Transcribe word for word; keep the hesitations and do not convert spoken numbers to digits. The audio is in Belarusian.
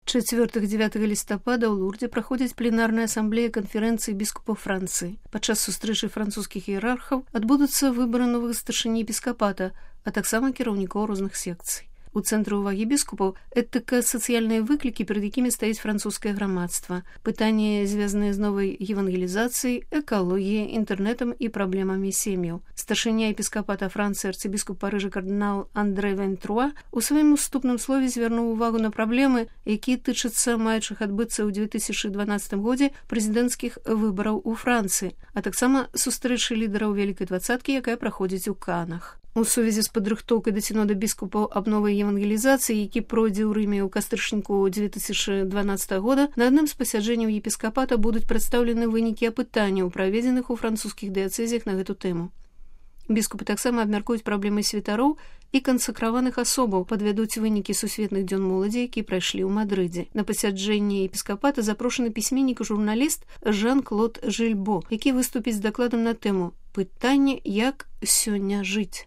чацвёртага-дзявятага лістапада ў Лурдзе праходзіць пленарная асамблея канферэнцыі біскупаў Францыі. Падчас сустрэчы французскіх іерархаў адбудуцца выбары новых старшыні епіскапата, а таксама кіраўнікоў розных секцый. У цэнтры ўвагі біскупаў этыка, сацыяльныя выклікі, перад якімі стаіць французскае грамадства, пытанні, звязаныя з новай евангелізацыяй, экалогіяй, інтэрнэтам і праблемамі сем'яў. Старшыня епіскапата Францыі арцыбіскуп Парыжа кардынал Андрэ Вентруа у сваім уступным слове звярнуў увагу на праблемы, якія тычацца маючых адбыцца ў дзве тысячы дванаццатым годзе прэзідэнцкіх выбараў у Францыі, а таксама сустрэчы лідараў вялікай дваццаткі, якая праходзіць у Канах. У сувязі з падрыхтоўкай да сінода біскупаў аб новай евангелізацыі, які пройдзе ў Рыме ў кастрычніку дзве тысячы дванаццатага года, на адным з пасяджэнняў епіскапата будуць прадстаўлены вынікі апытанняў, праведзеных у французскіх дыяцэзіях на гэту тэму. Біскупы таксама абмяркуюць праблемы святароў і кансакраваных асобаў, падвядуць вынікі сусветных дзён моладзі, якія прайшлі ў Мадрыдзе. На пасяджэнне епіскапата запрошаны пісьменнік і журналіст Жан-Клод Жильбо, які выступіць з дакладам на тэму «Пытанне, як сёння жыць».